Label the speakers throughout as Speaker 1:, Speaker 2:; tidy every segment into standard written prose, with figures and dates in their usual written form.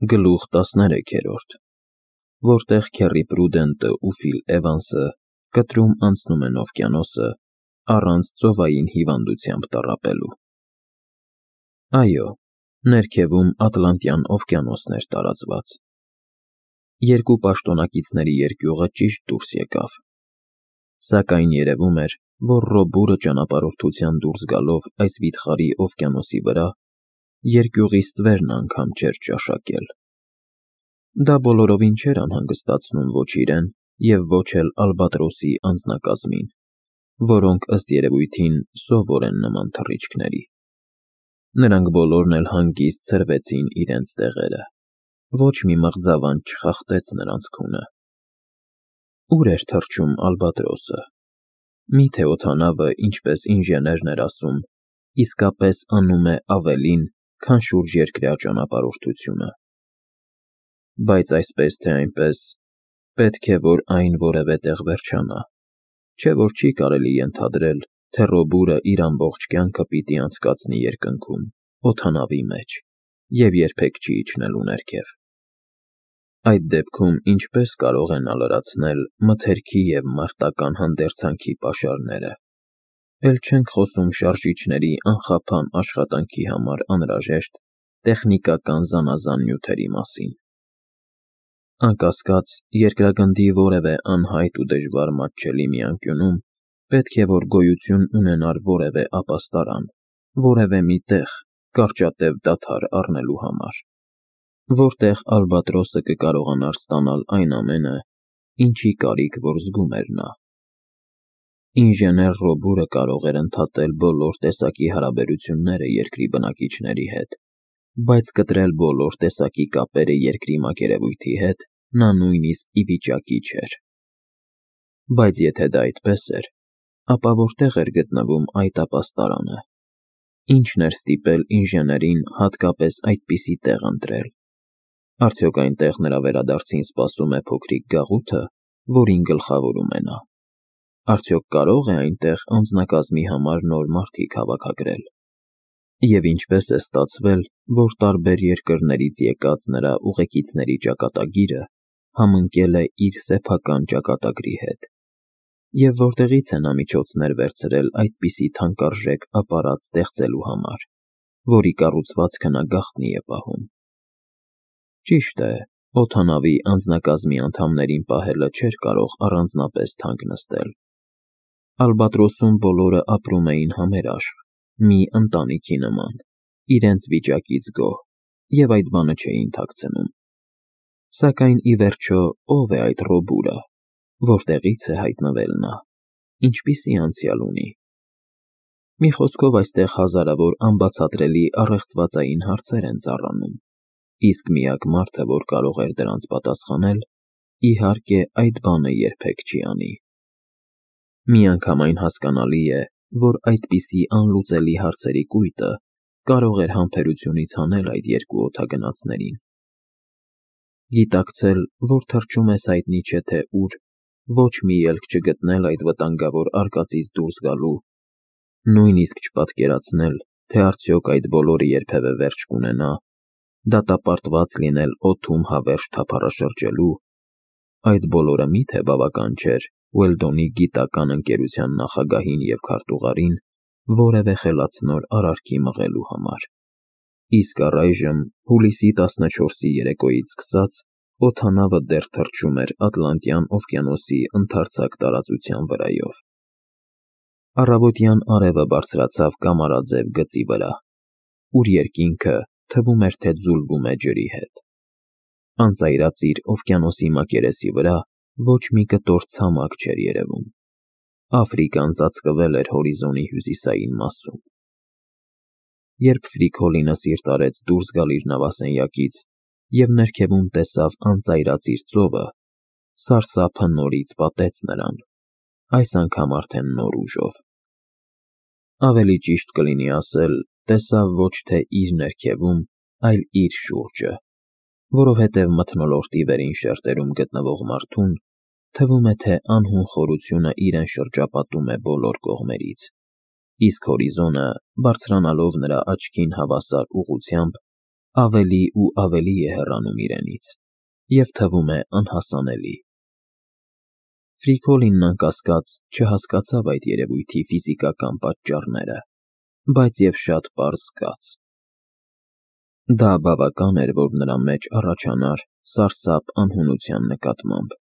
Speaker 1: Գլուխ 13, որտեղ Քերի Պրուդենտը ու Ֆիլ Էվանսը կտրում անցնում են օվկիանոսը առանց ծովային հիվանդությամբ տառապելու։ Այո, ներքևում Ատլանտյան օվկիանոսն էր տարածված։ Երկու պաշտոնակիցների երկյուղը ճիշտ դուրս եկավ։ Սակայն երևում էր, որ Ռոբուրը ճանապարհորդության դուրս գալով այս վիթխարի օվկիանոսի վրա, երկյուղի ստվերն անգամ չէր ճաշակել։ Դա բոլորովին չէր անհանգստացնում ոչ իրեն և ոչ էլ Ալբատրոսի անձնակազմին, որոնք ըստ երևույթին սովոր են նման թռիչքների։ Նրանք բոլորն էլ հանգիստ ցրվեցին իրենց տեղերը։ Ոչ մի մղձավանջ չխախտեց նրանց քունը։ Ուր էր թռչում Ալբատրոսը։ Միթե օդանավը, ինչպես ինժեներն էր ասում, իսկապես անում է ավելին, քան շուրջերկրյա ճանապարհորդությունը։ Բայց այսպես թե այնպես, պետք է, որ այն որևէ տեղ վերջանա, չէ՞ որ չի կարելի ենթադրել, թե Ռոբուրը իր ամբողջ կյանքը պիտի անցկացնի երկնքում, օդանավի մեջ, և երբեք չի իջնելու ներքև։ Այդ դեպքում ինչպե՞ս կարող է նա լրացնել մթերքի և մարտական հանդերձանքի պաշարները։ Էլ չենք խոսում շարժիչների անխափան աշխատանքի համար անհրաժեշտ տեխնիկական զանազան նյութերի մասին։ Անկասկած, երկրագնդի որևէ անհայտ ու դժվար մատչելի մի անկյունում պետք է, որ գոյություն ունենար որևէ ապաստարան, որևէ մի տեղ կարճատև դադար առնելու համար, որտեղ Ալբատրոսը կկարողանար ստանալ այն ամենը, ինչի կարիք որ զգում էր նա։ Ինժեներ Ռոբուրը կարող էր ընդհատել բոլոր տեսակի հարաբերությունները երկրի բնակիչների հետ, բայց կտրել բոլոր տեսակի կապերը երկրի մակերևույթի հետ նա նույնիսկ ի վիճակի չէր։ Բայց եթե դա այդպես էր, ապա որտեղ էր գտնվում այդ ապաստարանը։ Ինչն էր ստիպել ինժեներին հատկապես այդպիսի տեղ ընտրել։ Արդյոք այնտեղ նրա վերադարձին սպասում է փոքրիկ գաղութը, որին գլխավորում է նա։ Արդյոք կարող է այնտեղ անձնակազմի համար նոր մարդիկ հավաքագրել։ Եվ ինչպես է ստացվել, որ տարբեր երկրներից եկած նրա ուղեկիցների ճակատագիրը համընկել է իր սեփական ճակատագրի հետ։ Եվ որտեղից է նա միջոցներ վերցրել այդպիսի թանկարժեք ապարատ ստեղծելու համար, որի կառուցվածքը նա գաղտնի է պահում։ Ճիշտ է, օդանավի անձնակազմի անդամներին պահելը չէր կարող առանձնապես թանկ նստել։ Ալբատրոսում բոլորը ապրում էին համերաշխ, մի ընտանիքի նման, իրենց վիճակից գոհ, և այդ բանը չէին թաքցնում։ Սակայն ի վերջո ո՞վ է այդ Ռոբուրը, որտեղից է հայտնվել նա, ինչպիսի անցյալ ունի։ Մի խոսքով այստեղ հազարավոր անբացատրելի առեղծվածային հարցեր են ծառանում, իսկ միակ մարդը, որ կարող էր դրանց պատասխանել, իհարկե այդ բանը երբեք չի անի։ Միանգամայն հասկանալի է, որ այդպիսի անլուծելի հարցերի կույտը կարող էր համբերությունից հանել այդ երկու օդագնացներին։ Գիտակցել, որ թռչում ես հայտնի չէ թե ուր, ոչ մի ելք չգտնել այդ վտանգավոր արկածից դուրս գալու, նույնիսկ չպատկերացնել, թե արդյոք այդ բոլորը երբևէ վերջ կունենա, դատապարտված լինել օդում հավերժ թափառաշրջելու, այդ բոլորը միթե բավական չէր Ուելդոնի գիտական ընկերության նախագահին և քարտուղարին որևէ խելացնոր արարքի մղելու համար։ Իսկ առայժմ, հուլիսի 14-ի երեկոյից սկսած, օդանավը դեռ թռչում էր Ատլանտյան օվկիանոսի ընդարձակ տարածության վրայով։ Առավոտյան արևը բարձրացավ կամարաձև գծի վրա, ուր երկինքը թվում էր, թե ձուլվում է ջրի հետ։ Անծայրածիր օվկիանոսի մակերեսի վրա ոչ մի կտոր ցամաք չէր երևում։ Աֆրիկան ծածկվել էր հորիզոնի հյուսիսային մասում։ Երբ Ֆրիկոլինը սիրտ արեց դուրս գալ իր նավասենյակից և ներքևում տեսավ անծայրածիր ծովը, սարսափը նորից պատեց նրան, այս անգամ արդեն նոր ուժով։ Ավելի ճիշտ կլինի ասել, տեսավ ոչ թե իր ներքևում, այլ իր շուրջը, որովհետև մթնոլորտի վերին շերտերում գտնվող մարդուն թվում է, թե անհուն խորությունը իրեն շրջապատում է բոլոր կողմերից, իսկ հորիզոնը, բարձրանալով նրա աչքին հավասար ուղղությամբ, ավելի ու ավելի է հեռանում իրենից և թվում է անհասանելի։ Ֆրիկոլինն անկասկած չհասկացավ այդ երևույթի ֆիզիկական պատճառները, բայց և շատ պարզ զգաց. դա բավական էր, որ նրա մեջ առաջանար սարսափ անհունության նկատմամբ,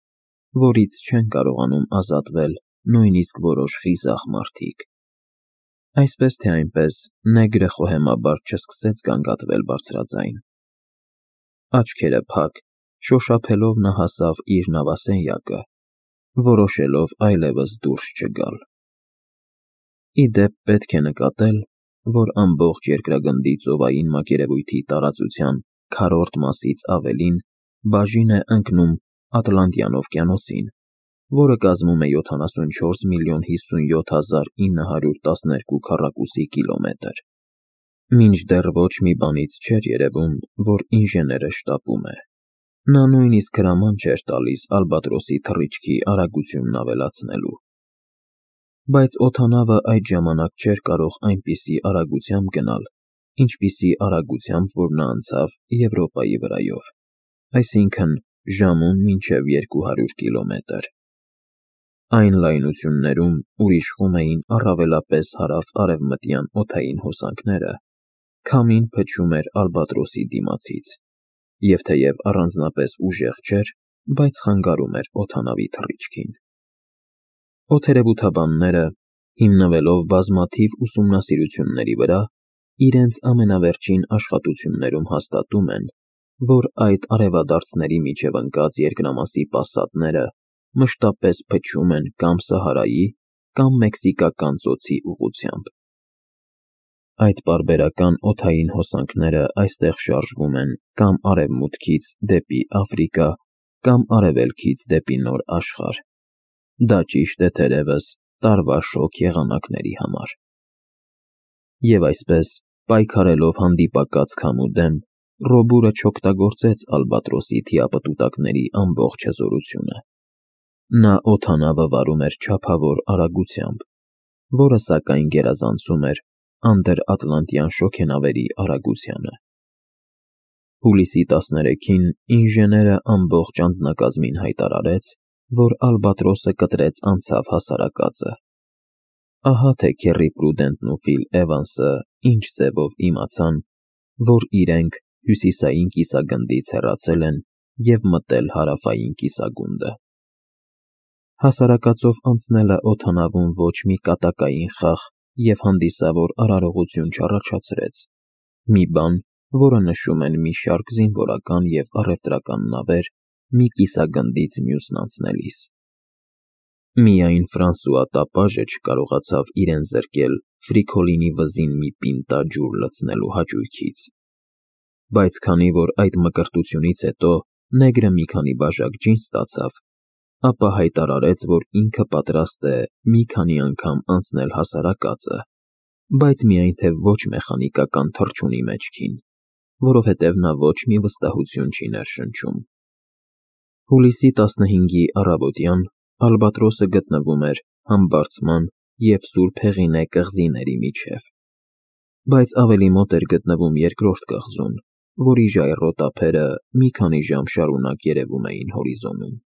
Speaker 1: որից չեն կարողանում ազատվել նույնիսկ որոշ խիզախ մարդիկ։ Այսպես թե այնպես, նեգրը խոհեմաբար չսկսեց գանգատվել բարձրաձայն։ Աչքերը փակ, շոշափելով նա հասավ իր նավասենյակը, որոշելով այլևս դուրս չգալ։ Ի դեպ, պետք է նկատել, որ ամբողջ երկրագնդի ծովային մակերևույթի տարածության քառորդ մասից ավելին բաժին է ընկնում Ատլանտյան օվկիանոսին, որը կազմում է 74,57,912 քառակուսի կիլոմետր։ Մինչդեռ ոչ մի բանից չէր երևում, որ ինժեները շտապում է։ Նա նույնիսկ հրաման չէր տալիս ալբատրոսի թռիչքի արագությունն ավելացնելու։ Բայց օդանավը այդ ժամանակ չէր կարող այնպիսի արագությամբ գնալ, ինչպիսի արագությամբ որ նա անցավ Եվրոպայի վրայով, այսինքն ժամում մինչև 200 կիլոմետր։ Այն լայնություններում, ուր իշխում էին առավելապես հարավ-արևմտյան օդային հոսանքները, քամին փչում էր ալբատրոսի դիմացից, և թեև առանձնապես ուժեղ չէր, բայց խանգարում էր օդանավի թռիչքին։ Օդերևութաբանները, հիմնվելով բազմաթիվ ուսումնասիրությունների վրա, իրենց ամենավերջին աշխատություններում հաստատում են, որ այդ արևադարձների միջև ընկած երկրամասի պասատները մշտապես փչում են կամ Սահարայի, կամ Մեքսիկական ծոցի ուղղությամբ։ Այդ պարբերական օդային հոսանքները այստեղ շարժվում են կամ արևմուտքից դեպի Աֆրիկա, կամ արևելքից դեպի Նոր Աշխարհ։ Դա ճիշտ է թերևս տարվա շոգ եղանակների համար։ Եվ այսպես, պայքարելով հանդիպակաց քամու դեմ, Ռոբուրը չօգտագործեց ալբատրոսի թիապտուտակների ամբողջ հզորությունը։ Նա օդանավը վարում էր չափավոր արագությամբ, որը սակայն գերազանցում էր անդրատլանտյան շոգենավերի արագությանը։ Հուլիսի 13-ին ինժեները ամբողջ անձնակազմին հայտարարեց, որ ալբատրոսը կտրեց անցավ հասարակածը։ Ահա թե Քեռի Պրուդենտն ու Ֆիլ Էվանսը ինչ ձևով իմացան, որ իրենք հյուսիսային կիսագնդից հեռացել են և մտել հարավային կիսագունդը։ Հասարակածով անցնելը օդանավում ոչ մի կատակային խախ և հանդիսավոր արարողություն չառաջացրեց, մի բան, որը նշում են մի շարք զինվորական և առևտրական նավեր մի կիսագնդից մյուսն անցնելիս։ Միայն Ֆրանսուଆ Տապաժը չկարողացավ իրեն զրկել Ֆրիկոլինի վզին մի պինտա ջուր լցնելու հաճույքից։ Բայց քանի որ այդ մկրտությունից հետո նեգրը մի քանի բաժակ ջին ստացավ, ապա հայտարարեց, որ ինքը պատրաստ է մի քանի անգամ անցնել հասարակածը, բայց միայն թե ոչ մեխանիկական թռչունի մեջքին, որովհետև նա ոչ մի վստահություն չի ներշնչում։ Հուլիսի 15-ի առավոտյան ալբատրոսը գտնվում էր Համբարձման և Սուրբ Հեղինե կղզիների միջև, բայց ավելի մոտ էր գտնվում երկրորդ կղզուն, որի ժայռոտ ափերը մի քանի ժամ շարունակ երևում էին հորիզոնում։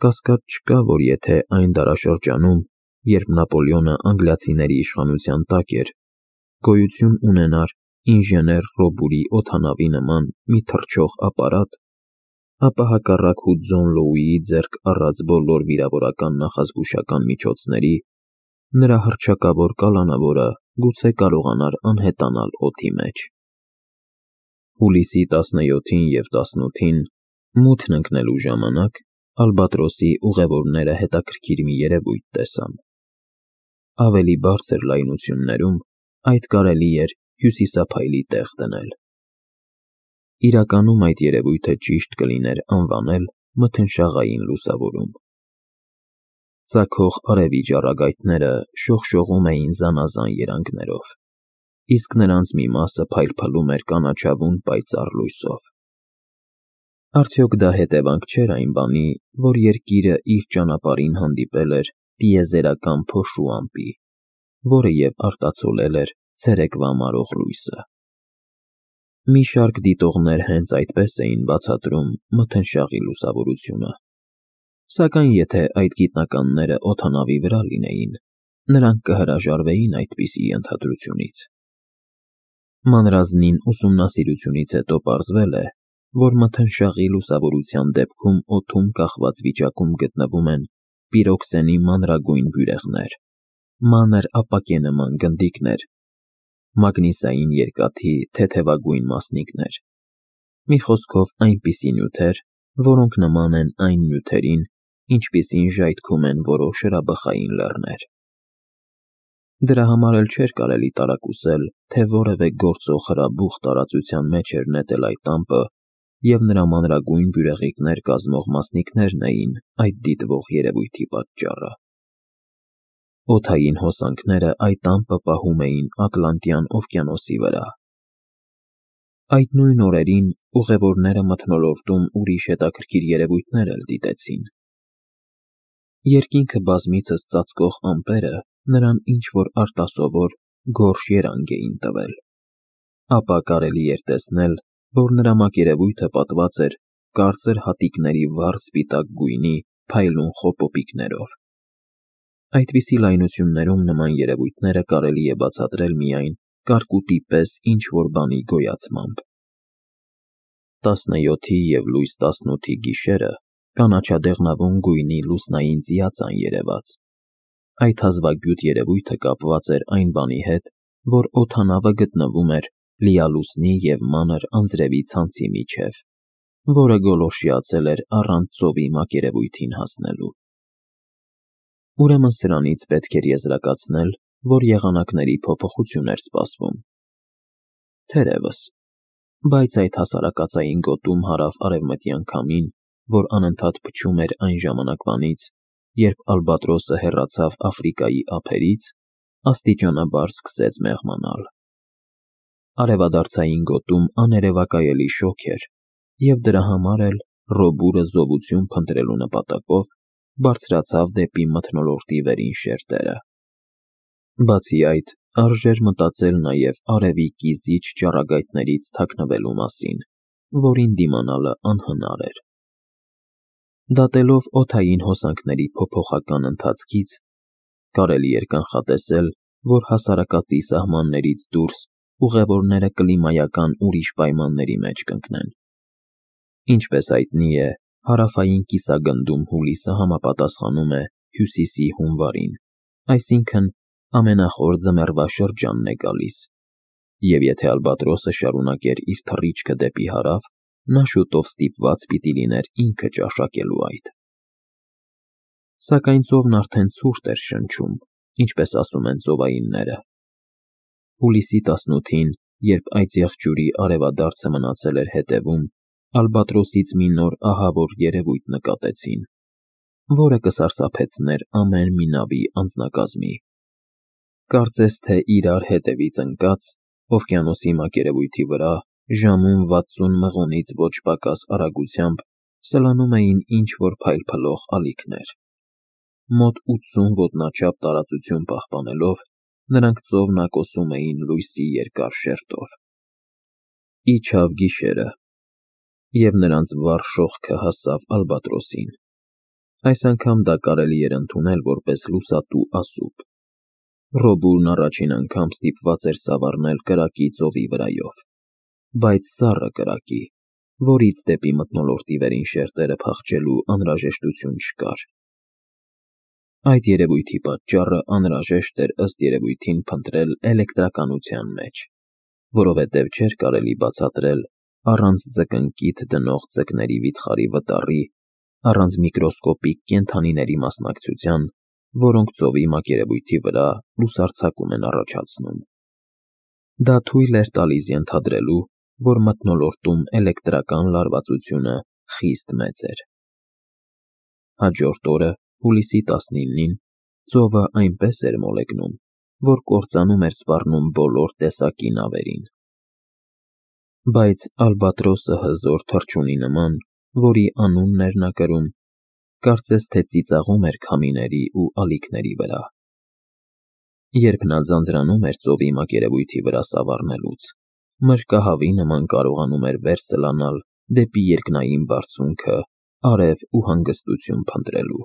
Speaker 1: Կասկած չկա, որ եթե այն դարաշրջանում, երբ Նապոլեոնը անգլիացիների իշխանության տակ էր, գոյություն ունենար ինժեներ Ռոբուրի օդանավի նման մի թռչող ապարատ, ապա հակառակ Հուդզոն Լոուիի ձեռք առած բոլոր վիրավորական նախազգուշական միջոցների, նրա հռչակավոր կալանավորը գուցե կարողանար անհետանալ օդի մեջ։ Հուլիսի 17-ին և 18-ին մութն ընկնելու ժամանակ ալբատրոսի ուղևորները հետաքրքիր մի երևույթ տեսան։ Ավելի բարձր լայնություններում այդ կարելի էր հյուսիսափայլի տեղ դնել։ Իրականում այդ երևույթը ճիշտ կլիներ անվանել մթնշաղային լուսավորում։ Ծագող արևի ճառագայթները շողշողում էին զանազան երանգներով, իսկ նրանց մի մասը փայլփլում էր կանաչավուն պայծառ լույսով։ Արդյոք դա հետևանք չէր այն բանի, որ երկիրը իր ճանապարհին հանդիպել էր տիեզերական փոշու ամպի, որը և արտացոլել էր ցերեկվա մարող լույսը։ Մի շարք դիտողներ հենց այդպես էին բացատրում մթնշաղի լուսավորությունը։ Սակայն եթե այդ գիտնականները օդանավի վրա լինեին, նրանք կհրաժարվեին այդպիսի ենթադրությունից։ Մանրազնին ուսումնասիրությունից հետո պարզվել է, որ մթնշաղի լուսավորության դեպքում օդում կախված վիճակում գտնվում են պիրոքսենի մանրագույն բյուրեղներ, մանր ապակենման գնդիկներ, մագնիսային երկաթի թեթևագույն մասնիկներ, մի խոսքով այնպիսի նյութեր, որոնք նման են այն նյութերին, ինչպիսին ժայթքում են որոշ հրաբխային լեռներ։ Դրա համար էլ չէր կարելի տարակուսել, թե որևէ գործող հրաբուխ տարածության մեջ էր նետել այդ տամպը, և նրա մանրագույն բյուրեղիկներ կազմող մասնիկներն էին այդ դիտվող երևույթի պատճառը։ Օդային հոսանքները այդ ամպը պահում էին Ատլանտյան օվկիանոսի վրա։ Այդ նույն օրերին ուղևորները մթնոլորտում ուրիշ հետաքրքիր երևույթներ էլ դիտեցին։ Երկինքը բազմիցս ծածկող ամպերը նրան ինչ-որ արտասովոր գորշ երանգ էին տվել։ Ապա կարելի էր տեսնել, որ նրա մակերևույթը պատված էր կարծր հատիկների վառ սպիտակ գույնի փայլուն խոպոպիկներով։ Այդպիսի լայնություններում նման երևույթները կարելի է բացատրել միայն կարկուտի պես ինչ-որ բանի գոյացմամբ։ 17-ի և լույս 18-ի գիշերը կանաչադեղնավուն գույնի լուսնային ծիածան երևաց։ Այդ հազվագյուտ երևույթը կապված էր այն բանի հետ, որ օդանավը գտնվում էր լիալուսնի և մանր անձրևի ցանցի միջև, որը գոլորշիացել էր առանց ծովի մակերևույթին հասնելու։ Ուրեմն սրանից պետք էր եզրակացնել, որ եղանակների փոփոխություն էր սպասվում։ Թերևս, բայց այդ հասարակածային գոտում հարավ-արևմտյան քամին, որ անընդհատ փչում էր այն ժամանակվանից, երբ ալբատրոսը հեռացավ Աֆրիկայի ափերից, աստիճանաբար սկսեց մեղմանալ։ Արևադարձային գոտում աներևակայելի շոգ էր, և դրա համար էլ Ռոբուրը զովություն փնտրելու նպատակով բարձրացավ դեպի մթնոլորտի վերին շերտերը։ Բացի այդ, արժեր մտածել նաև արևի կիզիչ ճառագայթներից թաքնվելու մասին, որին դիմանալը անհնար էր։ Դատելով օդային հոսանքների փոփոխական ընթացքից, կարելի էր կանխատեսել, որ հասարակածի սահմաններից դուրս ուղևորները կլիմայական ուրիշ պայմանների մեջ կընկնեն։ Ինչպես հայտնի է, հարավային կիսագնդում հուլիսը համապատասխանում է հյուսիսի հունվարին, այսինքն ամենախոր ձմեռվա շրջանն է գալիս, և եթե ալբատրոսը շարունակեր իր թռիչքը դեպի հարավ, նա շուտով ստիպված պիտի լիներ ինքը ճաշակելու այդ։ Սակայն ծովն արդեն ցուրտ էր շնչում, ինչպես ասում են ծովայինները։ Հուլիսի 18-ին, երբ այդ եղջյուրի արևադարձը մնացել էր հետևում, ալբատրոսից մի նոր ահավոր երևույթ նկատեցին, որը կսարսափեցներ ամեն մի նավի անձնակազմի։ Կարծես թե իրար հետևից ընկած, օվկիանոսի մակերևույթի վրա ժամում 60 մղոնից ոչ պակաս արագությամբ սլանում էին ինչ-որ փայլփլող ալիքներ։ Մոտ 80 ոտնաչափ տարածություն պահպանելով, նրանք ծովն ակոսում էին լույսի երկար շերտով։ Իջավ գիշերը, և նրանց վառ շողքը հասավ ալբատրոսին։ Այս անգամ դա կարելի էր ընդունել որպես լուսատու ասուբ։ Ռոբուրն առաջին անգամ ստիպված էր սավառնել կրակի ծովի վրայով, բայց սառը կրակի, որից դեպի մթնոլորտի վերին շերտերը փախչելու անհրաժեշտություն չկար։ Այդ երևույթի պատճառը անհրաժեշտ էր ըստ երևույթին փնտրել էլեկտրականության մեջ, որովհետև չէր կարելի բացատրել առանց ձկնկիթ դնող ձկների վիթխարի վտառի, առանց միկրոսկոպիկ կենդանիների մասնակցության, որոնք ծովի մակերևույթի վրա լուսարձակում են առաջացնում։ Դա թույլ էր տալիս ենթադրելու, որ մթնոլորտում էլեկտրական լարվածությունը խիստ մեծ էր։ Հաջորդ օրը, հուլիսի 19-ին, ծովը այնպես էր մոլեգնում, որ կործանում էր սպառնում բոլոր տեսակի նավերին։ Բայց ալբատրոսը հզոր թռչունի նման, որի անունն էր նա կրում, կարծես թե ծիծաղում էր քամիների ու ալիքների վրա։ Երբ նա ձանձրանում էր ծովի մակերևույթի վրա սավառնելուց, մրրկահավի նման կարողանում էր վեր սլանալ դեպի երկնային բարձունքը արև ու հանգստություն փնտրելու։